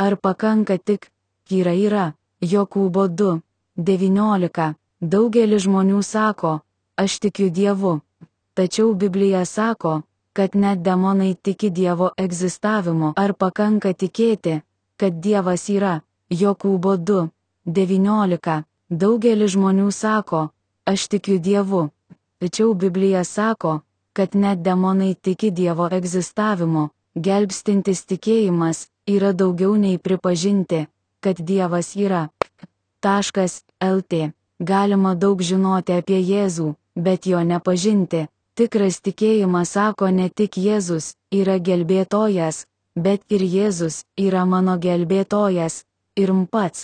Ar pakanka tik yra. Jokūbo 2:19. Daugelis žmonių sako, aš tikiu Dievu. Tačiau Biblija sako, kad net demonai tiki Dievo egzistavimu. Ar pakanka tikėti, kad Dievas yra? Jokūbo 2:19. Daugelis žmonių sako, aš tikiu Dievu. Tačiau Biblija sako, kad net demonai tiki Dievo egzistavimu. Gelbstintis tikėjimas yra daugiau nei pripažinti, kad Dievas yra. LT. Galima daug žinoti apie Jėzų, bet jo nepažinti. Tikras tikėjimas sako ne tik Jėzus yra gelbėtojas, bet ir Jėzus yra mano gelbėtojas ir pats.